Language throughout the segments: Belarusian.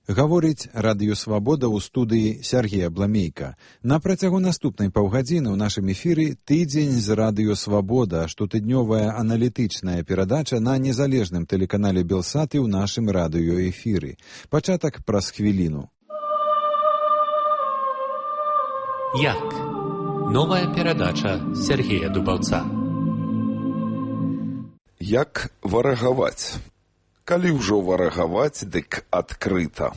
Гаворыць Радыё Свабода ў студыі Сергея Бламейка. На працягу наступнай паўгадзіны ў нашым эфіры «Тыдзень з Радыё Свабода», штотыднёвая аналітычная перадача на незалежным тэлеканале Белсат і ў нашым радыёэфіры. Пачатак праз хвіліну. Як? Новая перадача Сергея Дубаўца. Як варагаваць? Калі ўжо варагаваць, дык адкрыта.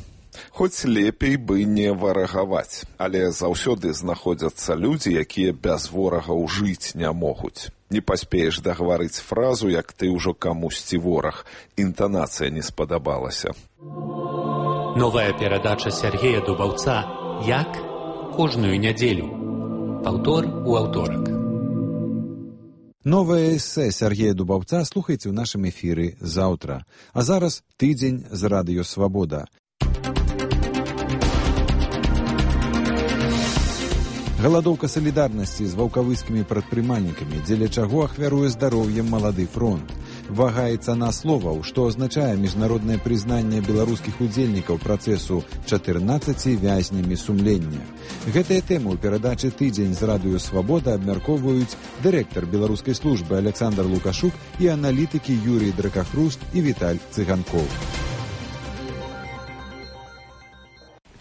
Хоць лепей бы не варагаваць, але заўсёды знаходзяцца людзі, якія без ворагаў жыць не могуць. Не паспееш дагаварыць фразу, як ты ўжо камусьці вораг. Інтанацыя не спадабалася. Новая перадача Сергея Дубаўца «Як?» Кожную нядзелю. Паўтор у аўторак. Новае эсэ Сергея Дубаўца слухайце ў нашым эфіры заўтра. А зараз «Тыдзень з Радыё Свабода». Галадоўка салідарнасці з ваўкавыскімі прадпрымальнікамі, дзеля чаго ахвяруе здароўем малады фронт. Вага і цана словаў, што азначае міжнароднае прызнанне беларускіх удзельнікаў працэсу 14 вязнямі сумлення. Гэтыя тэмы ў перадачы «Тыдзень з Радыё Свабода» абмяркоўваюць дырэктар беларускай службы Александр Лукашук і аналітыкі Юрій Дракахруст і Віталь Цыганкоў.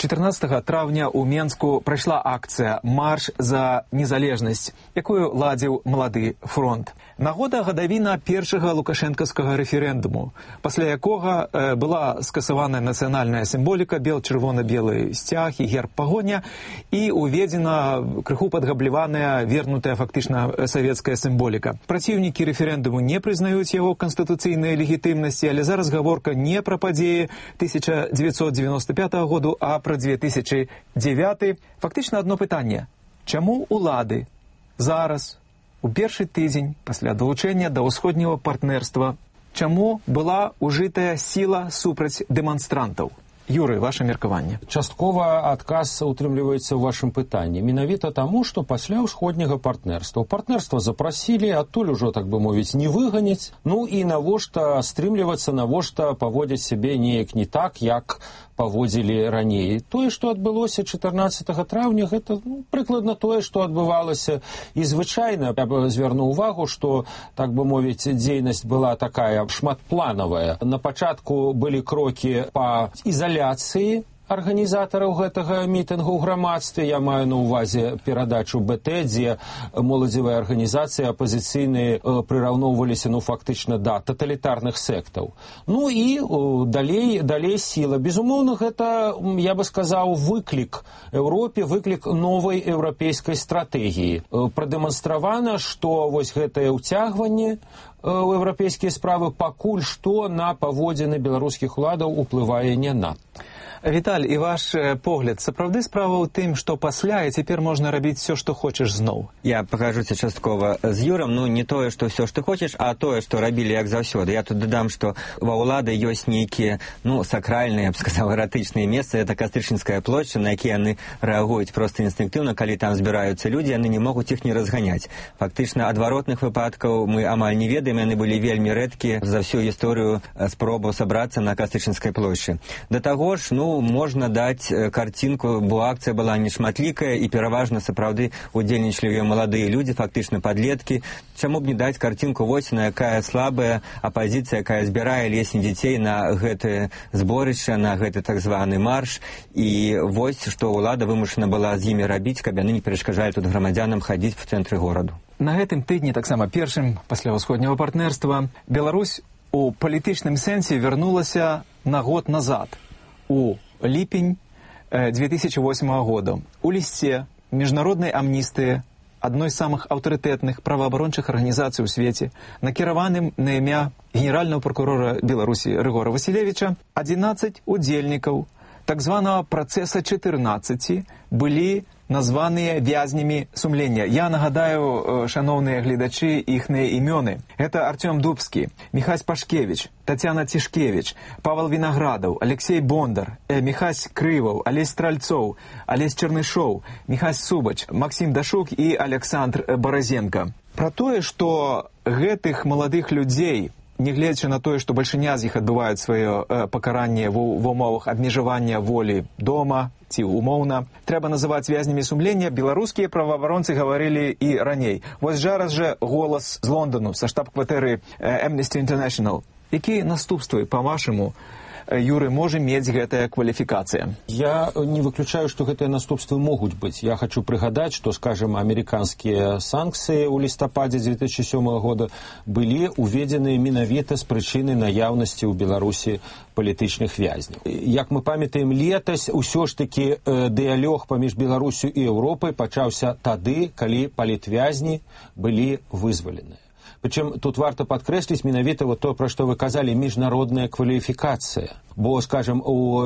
14 траўня ў Менску прайшла акцыя «Марш за незалежнасць», якую ладзіў малады фронт. Нагода гадавіна першага лукашэнкаўскага рэферэндуму, пасля якога была скасаваная нацыянальная сімволіка, бел-чырвона-белы сцяг і герб пагоня, і уведзена крыху падгабліваная, вернутая фактычна савецкая сімволіка. Праціўнікі рэферэндуму не прызнаюць яго канстытуцыйнай легітымнасці, але зараз гаворка не пра падзеі 1995 году, а пра 2009. Фактычна адно пытанне. Чаму улады зараз, у першы тыдзень пасля далучэння да ўсходняга партнерства, чаму была ужытая сіла супраць дэманстрантаў? Юрый, ваше меркаванне. Часткова адказ утрымліваецца ў вашым пытанні. Менавіта таму, што пасля ўсходняга партнерства. Партнерства запрасілі, адтуль ужо, так бы мовіць, не выганяць. Ну і навошта стрымлівацца, навошта паводзіць сябе неяк не так, як паводзілі раней. Тое, што адбылося 14 траўня, гэта прыкладна тое, што адбывалася. І звычайна, я б звярнуў увагу, што, так бы мовіць, дзейнасць была такая шматпланавая. На пачатку былі крокі па ізаляцыі арганізатараў гэтага мітынгу ў грамадстве. Я маю на ўвазе перадачу БТ, дзе моладзевыя арганізацыі апазіцыйныя прыраўноўваліся, фактычна, да таталітарных сектаў. Ну і далей сіла. Безумоўна, гэта, я бы сказаў, выклік Еўропе, выклік новай еўрапейскай стратэгіі. Прадэманстравана, што вось гэтае ўцягванне ў еўрапейскія справы пакуль што на паводзіны беларускіх уладаў уплывае не надта. Віталь, і ваш погляд, сапраўды справа ў тым, што пасля і цяпер можна рабіць все, што хочаш зноў? Я пагажуся часткова з Юрам, не тое, што все, што хочаш, а тое, што рабілі як заўсёды. Я тут дадам, што ва ўлады ёсць нейкія, сакральныя, я б сказаў, эратычныя месцы. Это Кастрычніцкая плошча, на якія яны рэагуюць проста інстынктыўна. Калі там збіраюцца людзі, яны не могуць іх не разганяць. Фактычна, адваротных выпадкаў мы амаль не ведаем, яны былі вельмі рэдкія за всю гісторыю спробаў сабрацца на Кастрычніцкай плошчы. Да таго ж, можна даць карцінку, бо акцыя была нешматлікая і пераважна сапраўды удзельнічалі ёй маладыя людзі, фактычна падлеткі. Чаму б не даць карцінку вось на якая слабая апазіцыя, якая збірае лесні дзяцей на гэтае зборышча, на гэты так званы марш, і вось што ўлада вымушана была з імі рабіць, каб яны не перашкаджалі тут грамадзянам хадзіць в цэнтры гораду. На гэтым тыдні, таксама першым пасля ўсходняга партнерства, Беларусь у палітычным сэнсе вярнулася на год назад, у ліпень 2008 года. У лісце міжнароднай амністыі, адной з самых аўтарытэтных праваабарончых арганізацый у свеце, накіраваным на імя генеральнага прокурора Беларусі Рыгора Васілевіча, 11 удзельнікаў так званого процесса 14 былі названыя вязнямі сумлення. Я нагадаю, шановныя гледачы, іхныя імёны. Это Артём Дубскі, Міхась Пашкевич, Тацяна Цішкевич, Павел Вінаградаў, Алексей Бондар, Міхась Крываў, Алесь Стральцоў, Алесь Чернышоў, Міхась Субач, Максим Дашук і Александр Баразенко. Пра тое, што гэтых маладых людзей, нягледзячы на тое, што бальшыня з іх адбываюць сваё пакаранне ва ўмовах абмежавання волі дома ці умоўна, трэба называць вязнямі сумлення, беларускія праваабаронцы гаварылі і раней. Вось зараз жа голас з Лондану, са штаб-кватэры Amnesty International. Якія наступствы, па-вашаму, Юры, можа мець гэтая кваліфікацыя? Я не выключаю, што гэтыя наступствы могуць быць. Я хочу прыгадаць, што, скажем, амерыканскія санкцыі ў лістападзе 2007 года былі уведзеныя менавіта з прычыны наяўнасці ў Беларусі палітычных вязняў. Як мы памятаем, летась усё ж такі дыялог паміж Беларусю і Еўропай пачаўся тады, калі палітвязні былі вызваленыя. Причем тут варто подкреслить менавіта вот то, про что вы казали, международная квалификация. Бо, скажем, у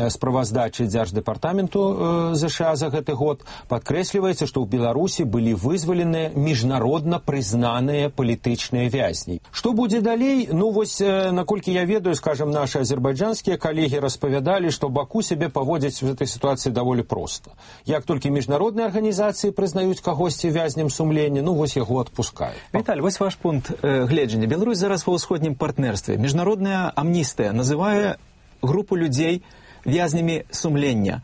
справаздачы Дзярждэпартаменту ЗША за гэты год подкрэсліваецца, што ў Беларусі былі вызваленыя міжнародна прызнаныя палітычныя вязні. Што будзе далей? Ну, вось, наколькі я ведаю, скажем, наши азербайджанскія калегі распавядалі, што Баку сябе паводзіць в этой ситуации даволі проста. Як толькі міжнародныя арганізацыі прызнаюць кагосьці вязнем сумлення, ну, вось яго адпускаюць. Віталь, вось ваш пункт гледжання. Беларусь зараз ва ўсходнім партнерстве. Міжнародная амністыя называе группу людей вязнямі сумлення.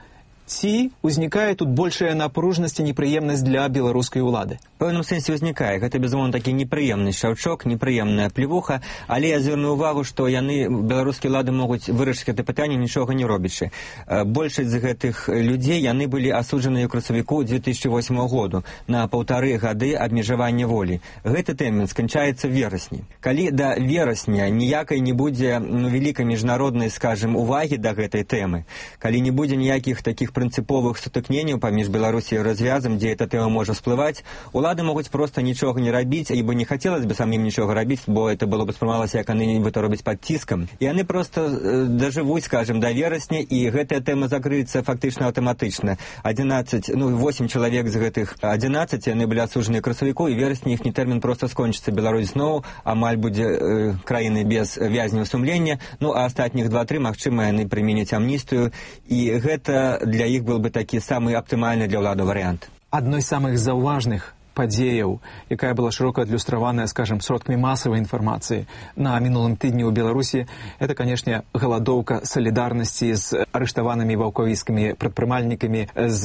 Ці узнікае тут большая напружнасць і непрыемнасць для беларускай улады? В пэўным сэнсе ўзнікае. Гэта, безумоўна, такі непрыемны шаўчок, непрыемная плевуха, але я звярну ўвагу, што яны, беларускія ўлады, могуць вырашыць гэта пытанне, нічога не робячы. Большасць з гэтых людзей, яны былі асуджаныя ў красавіку 2008 году на 1,5 гады абмежавання волі. Гэты тэрмін сканчаецца в верасні. Калі да верасня ніякай не будзе вялікай міжнароднай, скажем, увагі да гэтай тэмы, калі не будзе ніякіх такіх прынцыповых сутыкненняў паміж Беларусі і развязам, дзе эта тэма можа всплываць, улады могуць проста нічога не рабіць, ібо не хацелось бы самим нічога рабіць, бо это было бы спрымалася, як яны нібыта робяць пад ціскам. І яны проста дажывуць, скажем, да верасня, і гэтая тэма закрыецца фактычна аўтаматычна. 8 чалавек з гэтых 11, яны былі асуджаныя красавіку, і верасні іхні тэрмін проста скончыцца. Беларусь зноў амаль будзе краіны без вязняў сумлення, ну а астатніх 2-3, магчыма, яны прыменяць амністыю, і гэта для іх был бы такі самы аптымальны для ўлады варыянт. Адной з самых заўважных падзеяў, якая была шырока адлюстраваная, скажем, сродкамі масавай інфармацыі на мінулым тыдні ў Беларусі, это, канешне, галадоўка салідарнасці з арыштаванымі ваўкавіцкімі прадпрымальнікамі, з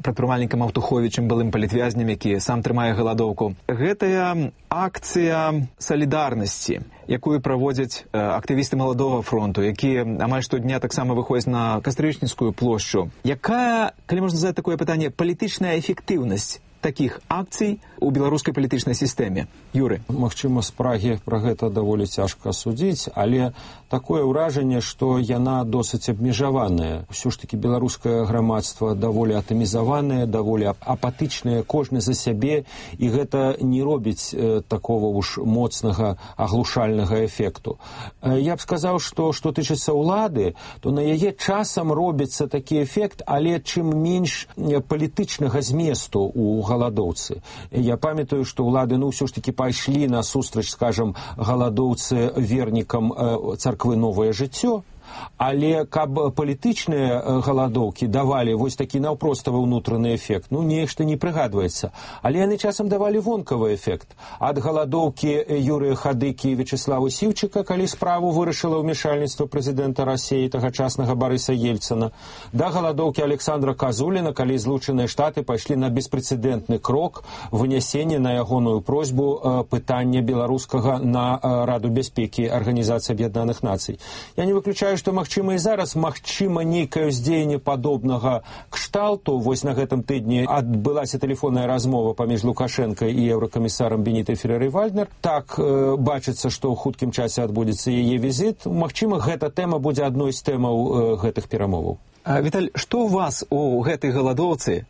прадпрымальнікам Аўтуховічым, былым палітвязнем, які сам трымае галадоўку. Гэтая акцыя салідарнасці, якую праводзяць актывісты Маладога фронту, якія амаль штодня таксама выходзяць на Кастрычніцкую плошчу. Якая, калі можна задаць такое пытанне, палітычная эфектыўнасць таких акцый у беларускай палітычнай сістэме? Юры. Магчыма, з Прагі пра гэта даволі цяжка судзіць, але такое ўражанне, што яна досыць абмежаваная. Усё ж такі беларускае грамадства даволі атамізаванае, даволі апатычнае, кожны за сябе, і гэта не робіць такого уж моцнага аглушальнага эфекту. Я б сказаў, што тычыцца ўлады, то на яе часам робіцца такі эфект, але чым менш палітычнага зместу у галадоўцы. Я памятаю, што ўлады, ўсё ж такі пайшлі на сустрач, скажем, галадоўцы вернікам царквы «Новае жыццё», але каб палітычныя галадоўкі давалі вось такі наўпроставы ўнутраны эфект, нешта не прыгадваецца. Але яны часам давалі вонкавы эфект. Ад галадоўкі Юрыя Хадыкі і Вячеслава Сіўчыка, калі справу вырашыла ўмешальніцтва прэзідэнта Расіі, тагачаснага Барыса Ельцына, да галадоўкі Александра Казуліна, калі Злучаныя Штаты пайшлі на беспрэцэдэнтны крок вынясення на ягоную просьбу пытання беларускага на Раду бяспекі Арганізацыі Аб'яднаных Нацый. Я не выключаю, што магчыма і зараз, магчыма, нейкае ўздзеянне падобнага кшталту. Вось на гэтым тыдні адбылася тэлефонная размова паміж Лукашенко і еўракамісарам Бенітай Ферэрай-Вальднер. Так бачыцца, што ў хуткім часе адбудзецца яе візіт. Магчыма, гэта тэма будзе адной з тэмаў гэтых перамоваў. Віталь, што у вас у гэтай галадоўцы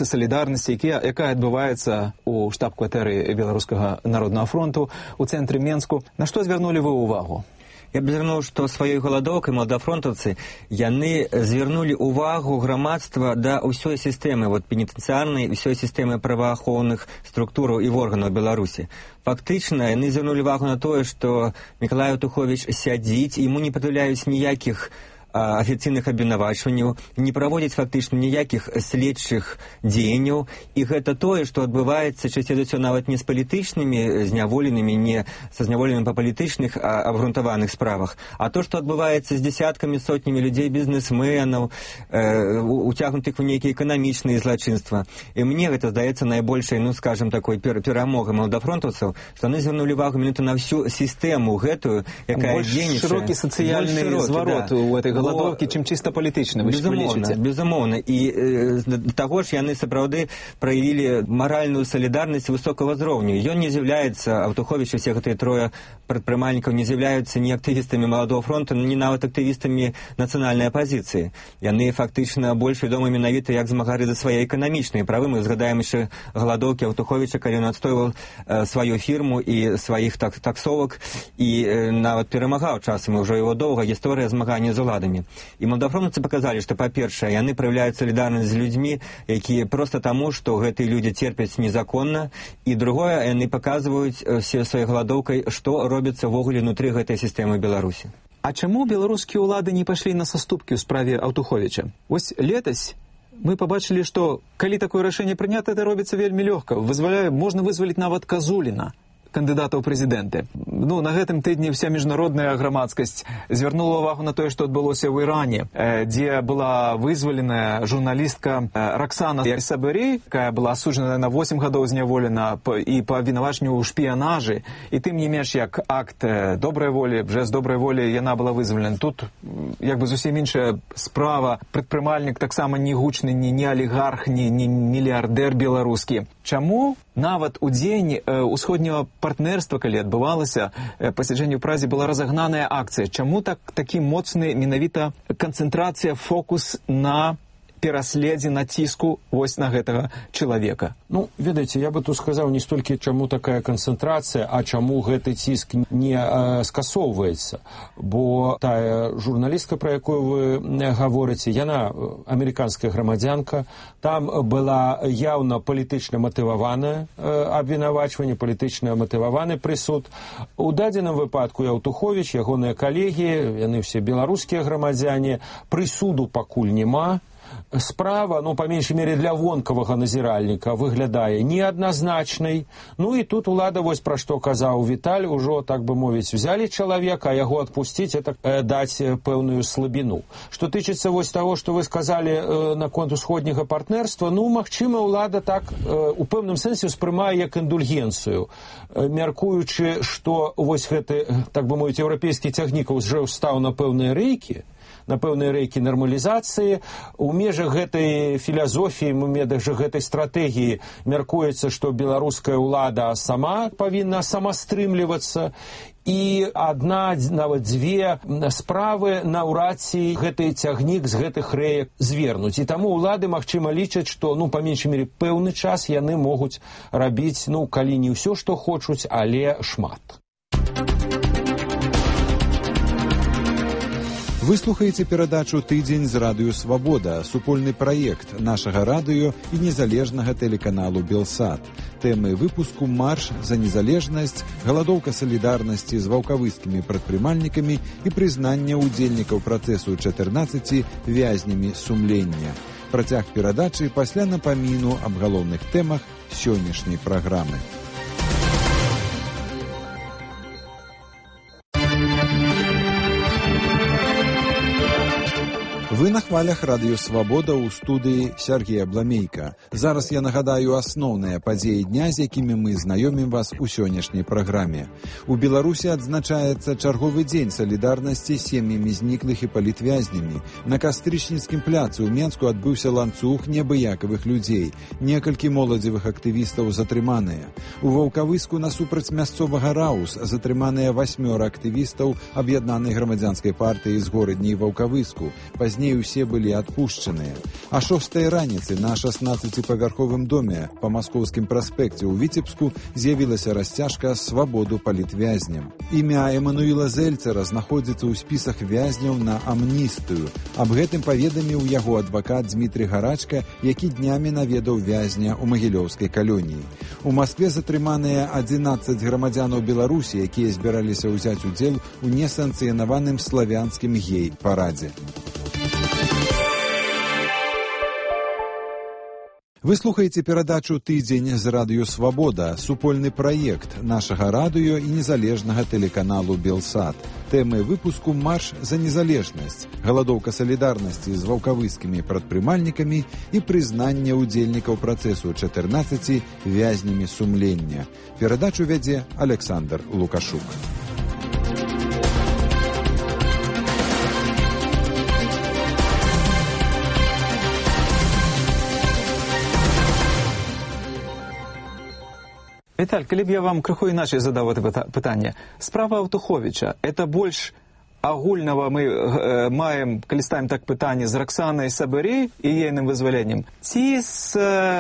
салідарнасці, якая адбываецца у штаб-кватэры Беларускага народнага фронту у цэнтры Менску, на што звярнулі вы ўвагу? Я б звярнуў, што сваёй галадоўкай маладафронтаўцы яны звярнулі ўвагу грамадства да ўсёй сістэмы, пенітэнцыярнай, ўсёй сістэмы праваахоўных структураў і органаў Беларусі. Фактычна, яны звярнулі увагу на тое, што Мікалай Аўтуховіч сядзіць, яму не прад'яўляюць ніякіх афіцыйных абвінавачванняў, не праводзіць фактычна ніякіх следчых дзеянняў, і гэта тое, што адбываецца часцей за ўсё нават не з палітычнымі зняволенымі, не са зняволенымі па палітычных абгрунтаваных справах, а то, што адбываецца з дзесяткамі, сотнямі людзей, бізнесменаў, уцягнутых у нейкія эканамічныя злачынства. І мне гэта здаецца найбольшай, скажам, такой перамогай маладафронтаўцаў, што яны звярнулі увагу менавіта на всю сістэму гэтую, якая дзейнічае. Больш шырокі сацыяльны зварот у этой галадоўкі, чым чыста палітычны, вы лічыце? Безумоўна. І да таго ж яны сапраўды праявілі маральную салідарнасць высокага ўзроўню. Ён не з'яўляецца, Аўтуховіч і все гэтыя трое прадпрымальнікаў не з'яўляюцца ні актывістамі Маладога фронту, ні нават актывістамі нацыянальнай апазіцыі. Яны фактычна больш вядомы менавіта як змагары за свае эканамічныя правы. Мы згадаем яшчэ галадоўкі Аўтуховіча, калі ён адстойваў сваю фірму і сваіх таксовак, і нават перамагаў часам, ўжо его доўга гісторыя змагання з уладамі. І маладафронтаўцы паказалі, што, па-першае, яны праяўляюць салідарнасць з людзьмі, якія проста таму, што гэтыя людзі церпяць незаконна, і другое, яны паказваюць сваёй галадоўкай, што робіцца ввогуле ўнутры гэтай сістэмы Беларусі. А чаму беларускія ўлады не пайшлі на саступкі ў справе Аўтуховіча? Вось летась мы побачылі, што калі такое рашэнне прынята, это робіцца вельмі лёгка. Можна вызваліць нават Казуліна, кандыдата ў прэзідэнты. На гэтым тыдні вся міжнародная грамадскасць звярнула ўвагу на тое, што адбылося ў Іране, дзе была вызваленая журналістка Роксана Сабырі, якая была асуджана на 8 гадоў зняволена і па абвінавачанню ў шпіянажы. І тым не менш, як акт добрай волі, жэст добрай волі, яна была вызвалена. Тут зусім іншая справа. Прадпрымальнік таксама не гучны, не алігарх, не мільярдэр беларускі. Чаму нават у дзень усходняга партнерства, калі адбывалася пасяджэнне ў Празе, была разагнаная акцыя? Чаму такі моцны менавіта канцэнтрацыя, фокус на пераследзе, націску вось на гэтага чалавека? Ведаеце, я бы тут сказаў не столькі, чаму такая канцэнтрацыя, а чаму гэты ціск не скасоўваецца. Бо тая журналістка, пра якую вы гаворыце, яна амерыканская грамадзянка, там была яўна палітычна матываванае абвінавачванне, палітычна матываваны прысуд. У дадзеным выпадку Аўтуховіч, ягоныя калегі, яны все беларускія грамадзяне, прысуду пакуль няма. Справа, па меншай мере для вонкавага назіральніка, выглядае неадназначнай. І тут улада, вось пра што казаў Віталь, ужо, так бы мовіць, взялі чалавека, а яго адпусціць, это даць пэўную слабіну. Што тычыцца вось таго, што вы сказалі наконт усходняга партнерства, магчыма, улада так у пэўным сэнсе ўспрымае як індульгенцыю, мяркуючы, што вось гэты, так бы мовіць, еўрапейскі цягнік ўжо стаў на пэўныя рэйкі, на пэўныя рэйкі нармалізацыі. У межах гэтай філазофіі, у межах гэтай стратэгіі мяркуецца, што беларуская ўлада сама павінна самастрымлівацца, і адна, нават дзве справы наўрад ці гэты цягнік з гэтых рэек звернуць. І таму ўлады, магчыма, лічаць, што, па меншай мере, пэўны час яны могуць рабіць, калі не ўсё, што хочуць, але шмат. Вы слухаеце перадачу «Тыдзень з радыё Свабода», супольны праект нашага радыё і незалежнага тэлеканалу «Белсат». Тэмы выпуску «Марш за незалежнасць», галадоўка салідарнасці з ваўкавыскімі прадпрымальнікамі і прызнанне ўдзельнікаў працэсу 14 вязнямі сумлення. Працяг перадачы пасля напаміну аб галоўных тэмах сённяшняй праграмы. Вы на хвалях радыё Свабода ў студыі Сергея Бламейка. Зараз я нагадаю асноўныя падзеі дня, з якімі мы знаёмім вас у сённяшняй праграме. У Беларусі адзначаецца чарговы дзень салідарнасці з сем'ямі зніклых і палітвязнямі. На Кастрычніцкім пляцы ў Менску адбыўся ланцуг неабыякавых людзей. Некалькі моладзевых актывістаў затрыманыя. У Ваўкавыску насупраць мясцовага Раус затрыманыя 8 актывістаў аб'яднанай грамадзянскай партыі з горадні Ваўкавыску. Пазней Пазней усе былі адпушчаныя. А 6 раніцы на 16-павярховым доме па Маскоўскім праспекце ў Віцебску з'явілася расцяжка «Свабоду палітвязням». Імя Эмануіла Зельцера знаходзіцца ў спісах вязняў на амністыю. Аб гэтым паведаміў яго адвакат Дмітрий Гарачка, які днямі наведаў вязня ў Магілёўскай калоніі. У Маскве затрыманыя 11 грамадзянаў Беларусі, якія збіраліся ўзяць удзел у несанкцыянаваным славянскім гей-парадзе. Вы слухаеце перадачу «Тыдзень» з радыё «Свабода», супольны праект нашага радыё і незалежнага тэлеканалу «Белсат». Тэмы выпуску «Марш за незалежнасць», галадоўка салідарнасці з ваўкавыскімі прадпрымальнікамі і прызнанне ўдзельнікаў працэсу 14 вязнямі сумлення. Перадачу вядзе Александр Лукашук. Віталь, калі б я вам крыху іначай задаў гэта пытанне. Справа Аўтуховіча, это больш агульнага мы маем, калі ставім так пытанне, з Раксанай Сабырэй і ейным вызваленнем, ці з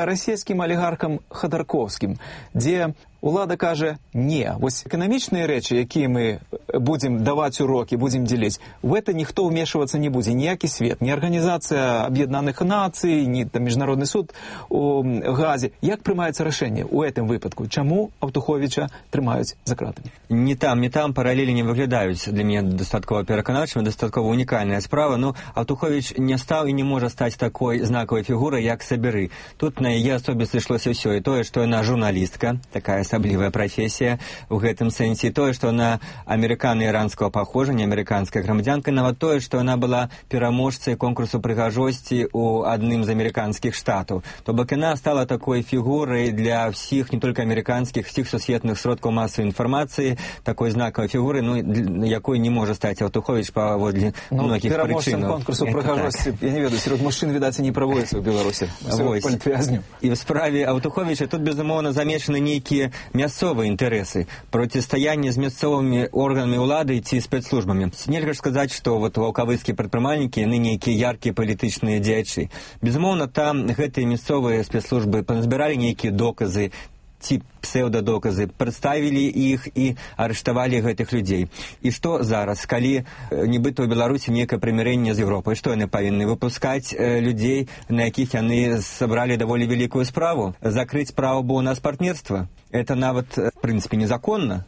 расійскім алігархам Хадарковскім, дзе улада кажа «не». Вось эканамічныя рэчы, якія мы будзем даваць урокі, будзем дзеліць, в это ніхто ўмешвацца не будзе, ніякі свет, ні Арганізацыя Аб'яднаных Нацый, ні там Міжнародны суд у Газе. Як прымаецца рашэнне ў гэтым выпадку? Чаму Аўтуховіча трымаюць за кратамі? Не там паралелі не выглядаюць для мяне дастаткова пераканаўчымі, дастаткова унікальная справа. Ну, Аўтуховіч не стаў і не можа стаць такой знакавай фігурай, як Саберы. Тут на яе асобе сышлося ўсё, і тое, што яна журналістка, такая асаблівая прафесія ў гэтым сэнсе, тое, што яна амерыкана-іранскага паходжання, амерыканская грамадзянка, нават тое, што яна была пераможцай конкурсу прыгажосці ў адным з амерыканскіх штатаў. То бок яна стала такой фігурай для ўсіх, не толькі амерыканскіх, усіх сусветных сродкаў масавай інфармацыі, такой знакавай фігуры, ну, якой не можа стаць Аўтуховіч паводле многіх прычынаў. Пераможцам конкурсу прыгажосці, я не ведаю, сярод мужчын, відаць, не праводзіцца ў Беларусі. Палітвязню. І ў справе Аўтуховіча тут, безумоўна, замешаны нейкія мясцовыя інтарэсы, процістаянне з мясцовымі органамі ўлады ці спецслужбамі. Нельга ж сказаць, што вот ваўкавыскія прадпрымальнікі, яны нейкія яркія палітычныя дзеячы. Безумоўна, там гэтыя мясцовыя спецслужбы пазбіралі нейкія доказы ці псеўдадоказы, прадставілі іх і арыштавалі гэтых людзей. І што зараз, калі нібыта ў Беларусі нейкае прымірэнне з Еўропай, што яны павінны выпускаць людзей, на якіх яны сабралі даволі вялікую справу? Закрыць справу, бо у нас партнерства? Это нават, в прынцыпе, незаконна.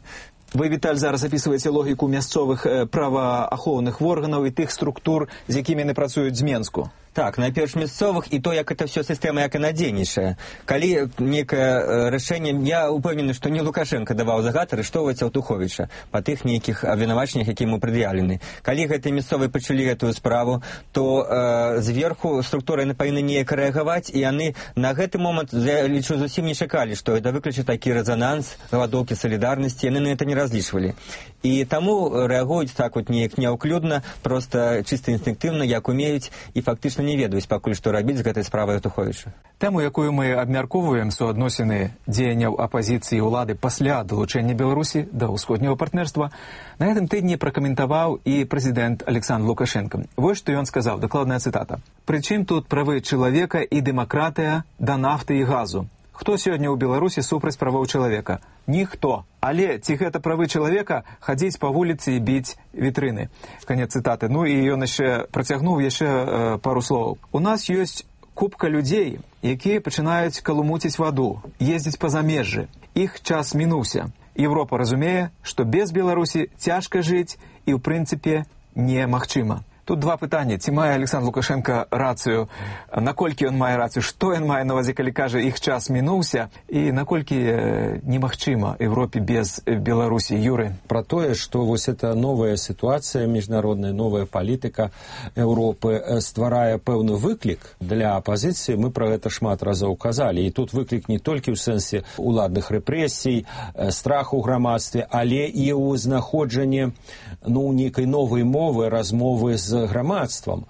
Вы, Віталь, зараз апісваеце логіку мясцовых праваахоўных органаў і тых структур, з якімі яны працуюць з Менску. Так, найперш мясцовых, і то, як это все сістэма, як яна дзейнічае. Калі некае рашэнне, я упэўнены, што не Лукашенко даваў загад арыштоўваць Аўтуховіча па тых нейкіх абвінавачаннях, якія ему прад'яўлены. Калі гэтыя мясцовыя пачалі гэтую справу, то зверху структуры яны павінны неяк рэагаваць, і яны на гэты момант, я лічу, зусім не чакалі, што это выключыць такі рэзананс, галадоўкі салідарнасці, яны на это не разлічвалі. І таму рэагуюць так вот неяк няўклюдна, проста чыста інстынктыўна, як умеюць, і фактычна не ведаюць пакуль што рабіць з гэтай справай Аўтуховіча. Тэму, якую мы абмяркоўваем, суадносіны дзеянняў апазіцыі і ўлады пасля далучэння Беларусі да ўсходняга партнерства, на гэтым тыдні пракаментаваў і прэзідэнт Александр Лукашенко. Вось што ён сказаў, дакладная цытата. «Прычым тут правы чалавека і дэмакратыя да нафты і газу? Хто сёння ў Беларусі супраць правоў чалавека? Ніхто. Але ці гэта правы чалавека хадзіць па вуліцы і біць вітрыны?» Канец цытаты. Ну і ён яшчэ працягнуў пару словаў. «У нас ёсць купка людзей, якія пачынаюць калумуціць ваду, ездзіць па замежжы. Іх час мінуўся. Еўропа разумее, што без Беларусі цяжка жыць і, ў прынцыпе, немагчыма». Тут два пытання. Ці мае Александр Лукашенко рацыю? Наколькі ён мае рацыю? Што ён мае на увазе, калі кажа, іх час мінуўся? І наколькі немагчыма Европе без Беларусі? Юры? Про тое, што вось эта новая сітуацыя міжнародная, новая палітыка Еўропы стварае пэўны выклік для апазіцыі. Мы пра гэта шмат разоў казалі. І тут выклік не толькі ў сэнсе уладных рэпрэсій, страху ў грамадстве, але і ў знаходжанні нейкай новай мовы, размовы з грамадствам,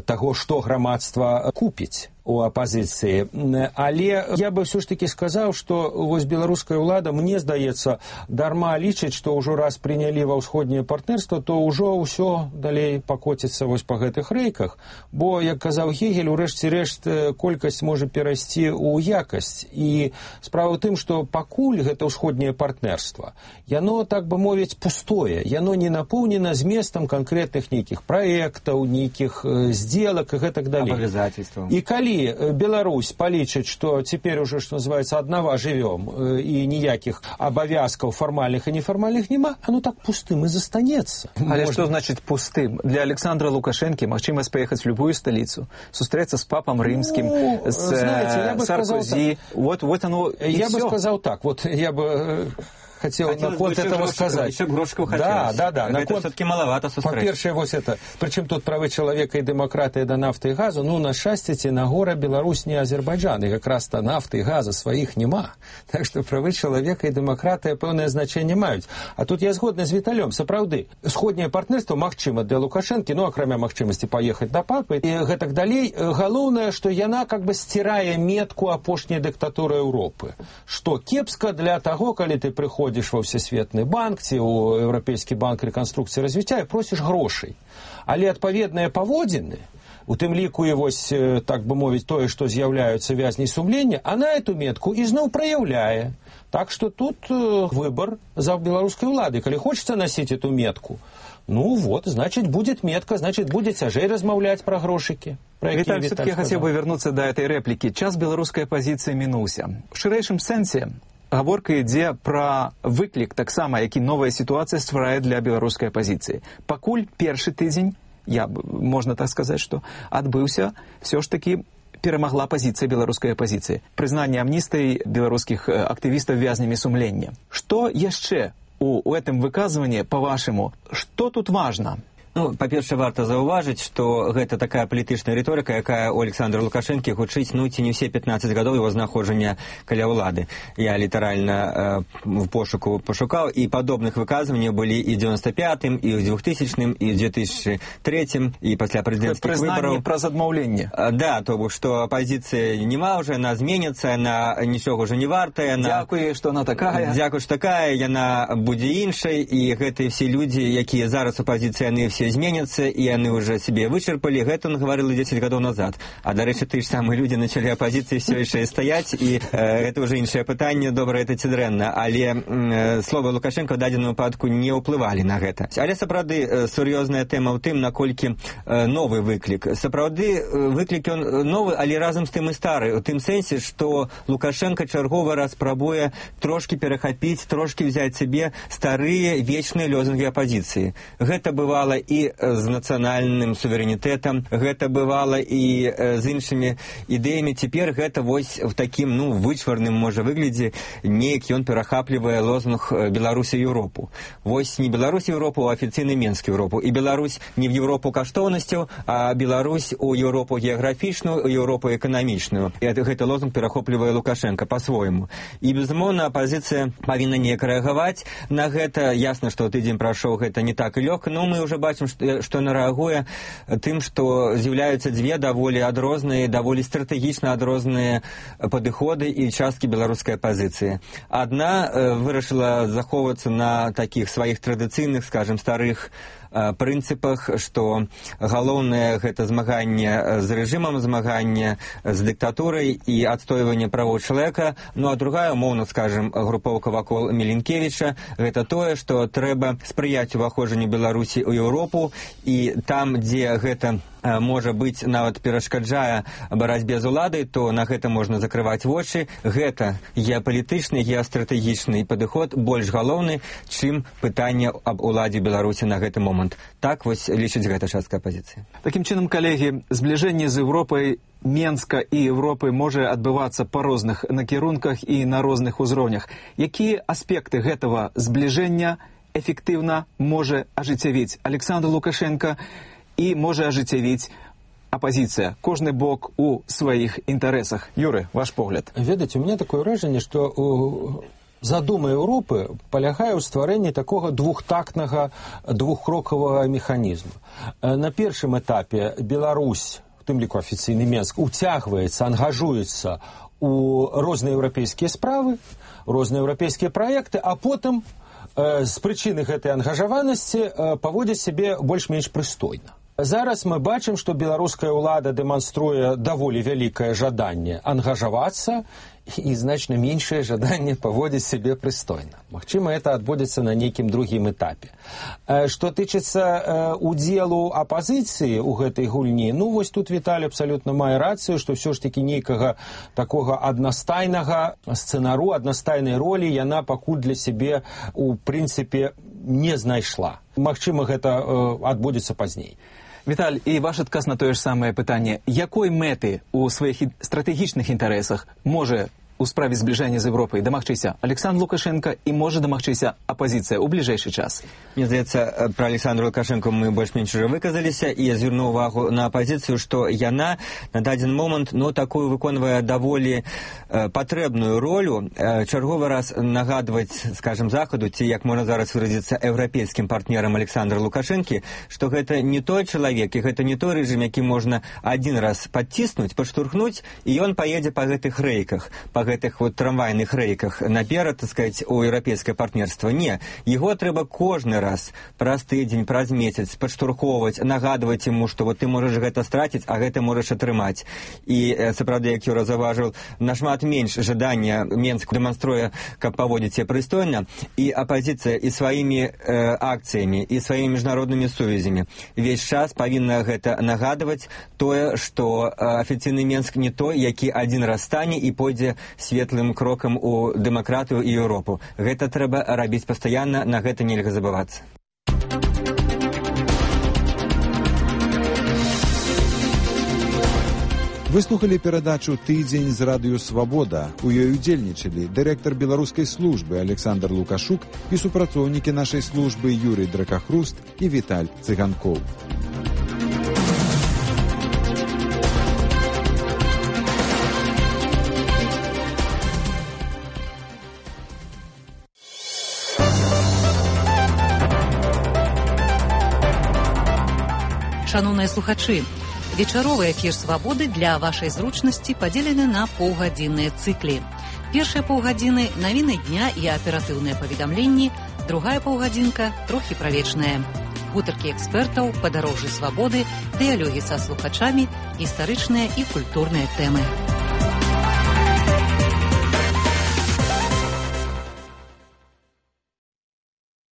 таго, што грамадства купіць. у апозіцыі. Але я бы все ж таки сказаў, што вось беларуская ўлада, мне здаецца, дарма лічыць, што ўжо раз прынялі ва ўсходняе партнерства, то ўжо ўсё далей пакоціцца вось па гэтых рэйках. Бо, як казаў Гегель, у рэшце рэшт колькасць можа перайсці ў якасць. І справа ў тым, што пакуль гэта ўсходняе партнерства, яно, так бы мовіць, пустое, яно не напоўнена зместам канкрэтных нейкіх праектаў, нейкіх сделак і гэтак далей. Абавязательстваў. І калі Беларусь палічыць, што цяпер уже, што называецца, аднава жывём, і ніякіх абавязкаў фармальных і нефармальных няма, оно так пустым и застанецца. Але что значит пустым? Для Александра Лукашенко магчымасць поехать в любую столицу, встретиться с папом римским, с Саркози. Вот оно и я все. бы сказал так, вот я бы... хотел на ход этого сказать. Еще грошку хотелось. Да. Это все-таки маловато сустрэч. По-перше, вот это. Причем тут правы человека и демократия до нафты и газу. Ну, на счастье, на гора Беларусь не Азербайджан. И как раз-то нафты и газа своих нема. Так что правы человека и демократия пэўнае значение маюць. А тут я згодны з Віталём. Сапраўды, сходняе партнерство магчыма для Лукашэнкі, ну, акрамя магчымасці поехать до папы. И гэтак далей. Галоўнае, что яна как бы стирае метку апошняй диктатуры Европы. Что кепска для того, калі ты приходишь во Всесветны банк ці ў Еўрапейскі банк рэканструкцыі і развіцця і просіш грошай. Але адпаведныя паводзіны, у тым ліку і вось, так бы мовіць, тое, што з'яўляюцца вязней сумлення, она эту метку ізноў праяўляе. Так што тут выбор за беларускай улады. Калі хочется носить эту метку, ну вот, значит, будет метка, значит, будет цяжэй размаўляць пра грошыкі. Виталий, все-таки я хотел бы вернуться до этой реплики. Час беларускай апозіцыі мінуўся. В шырэйшым сэнсе гаворка ідзе пра выклік таксама, які новая сітуацыя стварае для беларускай апозіцыі. Пакуль першы тыдзень, можна так сказаць, што адбыўся, все ж таки перамагла пазіцыя беларускай апозіцыі. Прызнанне амністыі беларускіх актывістаў вязнямі сумлення. Што яшчэ у гэтым выказванні, па-вашаму, што тут важна? Ну, па-першае, варта заўважыць, што гэта такая палітычная рыторыка, якая у Александра Лукашэнкі гучыць, ну, ці не ўсе 15 гадоў его знаходжання каля ўлады. Я літаральна в пошуку пошукаў, і падобных выказванняў былі і ў 95-м, і ў 2000-м, і ў 2003-м, і пасля прэзідэнцкіх выбараў. Прызнанне праз адмаўленне. Да, то бок, што апозіцыя нема ўжо, яна зменіцца, яна нічога ўжо не вартая. Дзякуй, што она такая. Дзякуй, што такая, яна будзе іншай, і гэтыя все людзі, якія зараз апозіцыя, яны все зменятся, и они уже себе вычерпали. Это он говорил 10 годов назад. А, до речі, ті ж самі люди начали опозиции все ще стоять, і это уже інше питання, добре, это ці дрэнна. Але слова Лукашенко в дадзеным выпадку не ўплывалі на гэта. Але сапраўды сур'ёзная тэма ў тым, наколькі новы выклік. Сапраўды выклік ён новы, але разам з тым і стары. У тым сэнсе, што Лукашенко чарговы раз спрабуе трошки перахапіць, трошки взяць себе старыя вечныя лозунгі апозіцыі. Гэта бывала і з нацыянальным суверэнітэтам, гэта бывала і з іншымі ідэямі. Цяпер гэта вось в такім, ну, вычварным, можа, выглядзе, неяк ён перахаплівае лозунг Беларусі і Еўропу. Вось не Беларусь і Еўропу, а афіцыйны Менск Еўропу. І Беларусь не в Еўропу каштоўнасцяў, а Беларусь у Еўропу геаграфічную, у Еўропу эканамічную. І гэты лозунг перахоплівае Лукашенко па-свойму. І, безумоўна, апозіцыя павінна неяк рэагаваць на гэта. Ясна, што тыдзень прайшоў, гэта не так і лёгка, но мы ўжо бачым, што яна рэагуе тым, што з'яўляюцца дзве даволі адрозныя, даволі стратэгічна адрозныя падыходы і часткі беларускай апозіцыі. Адна вырашыла захоўвацца на такіх сваіх традыцыйных, скажем, старых прынцыпах, што галоўнае гэта змаганне з рэжымам, змаганне з дыктатурай і адстойванне правоў чалавека. Ну а другая, умоўна скажем, групоўка вакол Міленкевіча, гэта тое, што трэба спрыяць уваходжанню Беларусі ў Еўропу, і там, дзе гэта можа быць, нават перашкаджае барацьбе з уладай, то на гэта можна закрываць вочы. Гэта геапалітычны, геастратэгічны падыход больш галоўны, чым пытанне аб уладзе Беларусі на гэты момант. Так вось лічыць гэта частка апозіцыі. Такім чынам, калегі, збліжэнне з Еўропай, Менска і Еўропы можа адбывацца па розных накірунках і на розных узроўнях. Якія аспекты гэтага збліжэння эфектыўна можа ажыццявіць Александр Лукашенко і можа ажыццявіць апозіцыя, кожны бок у сваіх інтарэсах? Юры, ваш погляд. Ведаце, у меня такое ўражанне, што задума Еўропы палягае ў стварэнні такога двухтактнага, двухкрокавага механізму. На першым этапе Беларусь в тым ліку афіцыйны Менск, уцягваецца, ангажуецца у розныя еўрапейскія справы, розныя еўрапейскія праекты, а потым з прычыны гэтай ангажаванасці паводзіць сябе больш-менш прыстойна. Зараз мы бачым, што беларуская ўлада дэманструе даволі вялікае жаданне ангажавацца і значна меншае жаданне паводзіць сябе прыстойна. Магчыма, это адбудзецца на нейкім другім этапе. Што тычыцца удзелу апазіцыі ў гэтай гульні, ну вось тут Віталій абсалютна мае рацыю, што ўсё ж такі нейкага такога аднастайнага сцэнару, аднастайнай ролі яна пакуль для сябе у прынцыпе не знайшла. Магчыма, гэта адбудзецца пазней. Віталь, і ваш адказ на тое ж самае пытанне. Якой мэты ў сваіх стратэгічных інтарэсах можа у справе збліжання з Европай дамагчыся Александр Лукашенко і можа дамагчыся апозіцыя ў бліжэйшы час? Мне здаецца, пра Александра Лукашенко мы больш-менш уже выказаліся, і я звярну ўвагу на апозіцыю, што яна на дадзены момант такую выконвае даволі патрэбную ролю, чарговы раз нагадваць, скажем, Захаду, ці, як можна зараз выразіцца, еўрапейскім партнерам Александра Лукашэнкі, што гэта не той чалавек, і гэта не той рэжым, які можна адзін раз падціснуць, падштурхнуць, і ён паедзе па гэтых рэйках, па гэтых трамвайных рэйках наперад, так сказаць, у еўрапейскае партнерства. Не, яго трэба кожны раз праз тыдзень, праз месяц падштурхоўваць, нагадваць яму, што ты можаш гэта страціць, а гэта можаш атрымаць. І сапраўды, як Юра заўважыў, нашмат менш жадання Менск дэманструе, каб паводзіць сябе прыстойна, і апазіцыя і сваімі акцыямі, і сваімі міжнароднымі сувязямі увесь час павінна гэта нагадваць тое, што афіцыйны Менск не той, які адзін раз стане і пойдзе светлым крокам у дэмакратыю і Еўропу. Гэта трэба рабіць пастаянна, на гэта нельга забывацца. Вы слухали перадачу «Тыдзень з радыё Свабода». У ёй удзельнічалі дырэктар беларускай службы Александр Лукашук і супрацоўнікі нашай службы Юрый Дракахруст і Віталь Цыганкоў. Шановныя слухачы, вечаровы эфір «Свабоды» для вашай зручнасці падзелены на паўгадзінныя цыклі. Першыя паўгадзіны – навіны дня і аператыўныя паведамленні, другая паўгадзінка – трохі правечная. Гутаркі экспертаў, падарожжы свабоды, дыялогі са слухачамі, гістарычныя і культурныя тэмы.